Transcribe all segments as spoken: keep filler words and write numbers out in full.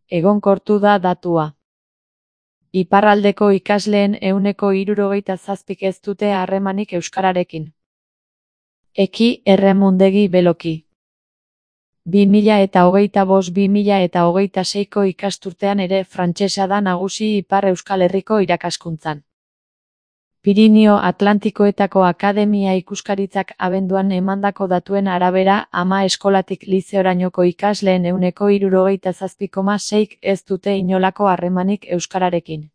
egonkortu da datua. Iparraldeko ikasleen ehuneko hirurogeita zazpik ez dute harremanik euskararekin. Eki erremundegi beloki. bi mila hogeita bost bi mila hogeita seiko ikasturtean ere frantsesa da nagusi Ipar Euskal Herriko irakaskuntzan. Pirinio Atlantikoetako Akademia Ikuskaritzak abenduan emandako datuen arabera ama eskolatik lizeorainoko ikasleen ehuneko hirurogeita zazpi koma seik ez dute inolako harremanik euskararekin.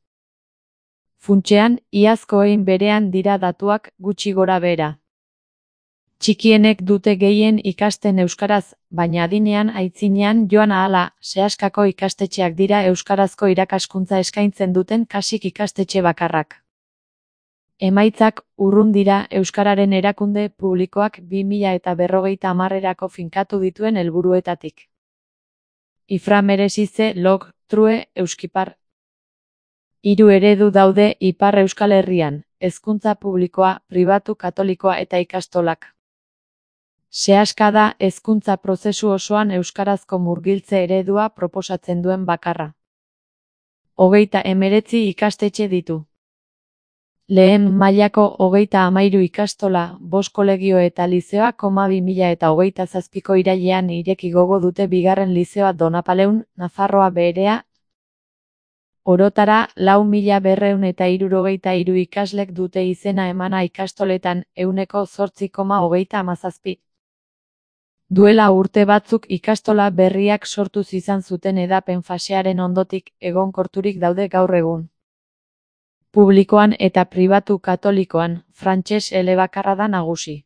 Funtsean, iazkoen berean dira datuak gutxi gora behera. Txikienek dute gehien ikasten euskaraz, baina adinean aitzinean joan ahala, sehaskako ikastetxeak dira euskarazko irakaskuntza eskaintzen duten kasik ikastetxe bakarrak. Emaitzak urrun dira euskararen erakunde publikoak bi mila berrogeita hamarerako finkatu dituen helburuetatik. Ifra merezize log, true, euskipar. Hiru eredu daude Ipar Euskal Herrian, hezkuntza publikoa, pribatu katolikoa eta ikastolak. Sehaska da hezkuntza prozesu osoan euskarazko murgiltze eredua proposatzen duen bakarra. Hogeita hemeretzi ikastetxe ditu. Lehen mailako hogeita hamairu ikastola, bost kolegio eta lizeoa koma bi mila eta hogeita zazpiko irailean ireki gogo dute bigarren lizeoa Donapaleun, Nafarroa Beherea. Orotara, lau mila berrehun eta hirurogeita hiru ikaslek dute izena emana ikastoletan, ehuneko zortzi koma hogeita hamazazpi. Duela urte batzuk ikastola berriak sortuz izan zuten edapen fasearen ondotik egonkorturik daude gaur egun. Publikoan eta pribatu katolikoan, frantses elebakarra da nagusi.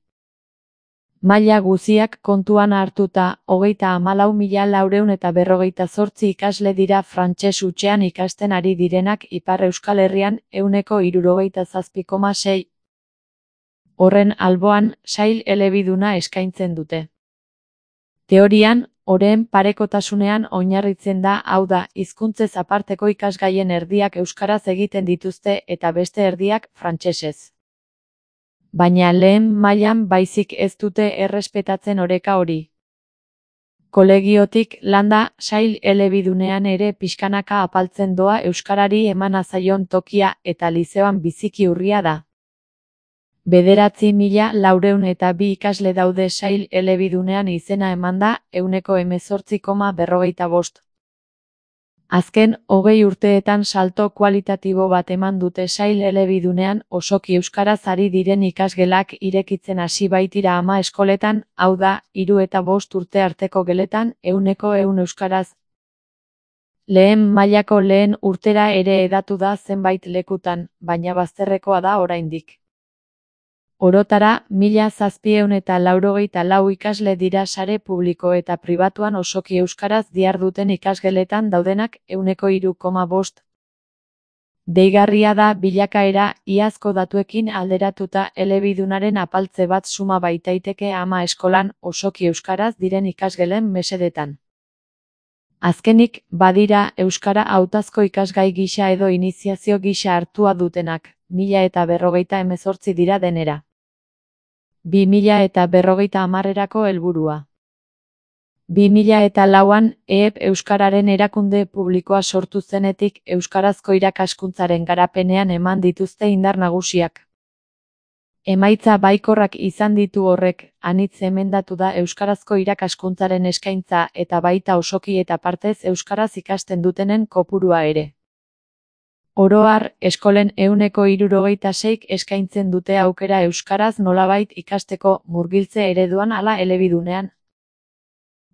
Maila guziak kontuan hartuta, hogeita hamalau mila laurehun eta berrogeita zortzi ikasle dira frantses hutsean ikasten ari direnak Ipar Euskal Herrian ehuneko hirurogeita zazpi koma sei. Horren alboan, sail elebiduna eskaintzen dute. Teorian, oreen parekotasunean oinarritzen da, hau da, hizkuntzez aparteko ikasgaien erdiak euskaraz egiten dituzte eta beste erdiak frantsesez. Baina lehen mailan baizik ez dute errespetatzen oreka hori. Kolegiotik landa, sail elebidunean ere pixkanaka apaltzen doa euskarari emana zaion tokia eta lizeoan biziki urria da. Bederatzi mila laurehun eta bi ikasle daude sail elebidunean izena emanda, ehuneko hemezortzi koma berrogeita bost. Azken hogei urteetan salto kualitatibo bat eman dute sail elebidunean osoki euskaraz ari diren ikasgelak irekitzen hasi baitira ama eskoletan, hau da, hiru eta bost urte arteko geletan, ehuneko ehun euskaraz. Lehen mailako lehen urtera ere hedatu da zenbait lekutan, baina bazterrekoa da oraindik. Orotara, mila zazpiehun eta laurogeita lau ikasle dira sare publiko eta pribatuan osoki euskaraz diharduten ikasgeletan daudenak ehuneko hiru koma bost. Deigarria da bilakaera, iazko datuekin alderatuta elebidunaren apaltze bat suma baitaiteke ama eskolan osoki euskaraz diren ikasgelen mesedetan. Azkenik, badira euskara hautazko ikasgai gisa edo iniziazio gisa hartua dutenak, mila eta berrogeita hemezortzi dira denera. bi mila eta berrogeita hamarerako helburua. bi mila eta lauan, E E P Euskararen erakunde publikoa sortu zenetik euskarazko irakaskuntzaren garapenean eman dituzte indar nagusiak. Emaitza baikorrak izan ditu horrek, anitz emendatu da euskarazko irakaskuntzaren eskaintza eta baita osoki eta partez euskaraz ikasten dutenen kopurua ere. Oro har, eskolen ehuneko hirurogeita seik eskaintzen dute aukera euskaraz nolabait ikasteko murgiltze ereduan ala elebidunean.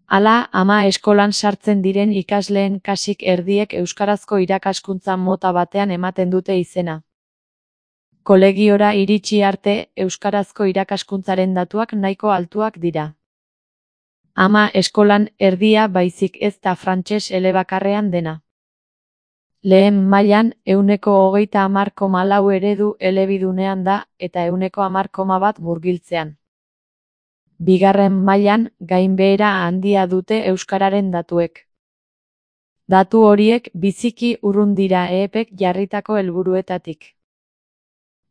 Hala, ama eskolan sartzen diren ikasleen kasik erdiek euskarazko irakaskuntza mota batean ematen dute izena. Kolegiora iritsi arte, euskarazko irakaskuntzaren datuak nahiko altuak dira. Ama eskolan erdia baizik ez da frantses elebakarrean dena. Lehen mailan, ehuneko hogeita hamar koma lau eredu elebidunean da, eta ehuneko hamar koma bat murgiltzean. Bigarren mailan, gainbehera handia dute euskararen datuek. Datu horiek biziki urrun dira E E Pek jarritako helburuetatik.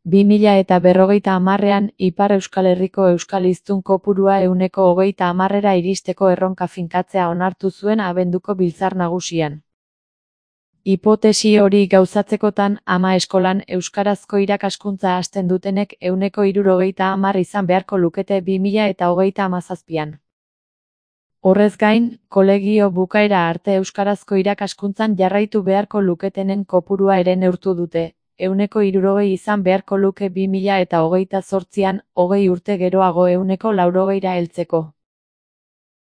bi mila eta berrogeita hamarrean, Ipar Euskal Herriko euskal hiztun kopurua ehuneko hogeita hamarrera iristeko erronka finkatzea onartu zuen abenduko biltzar nagusian. Hipotesi hori gauzatzekotan, ama eskolan euskarazko irakaskuntza hasten dutenek ehuneko hirurogeita hamar izan beharko lukete bi mila eta hogeita hamazazpian. Horrez gain, kolegio bukaera arte euskarazko irakaskuntzan jarraitu beharko luketenen kopurua ere neurtu dute, ehuneko hirurogei izan beharko luke bi mila eta hogeita zortzian, hogei urte geroago ehuneko laurogeira heltzeko.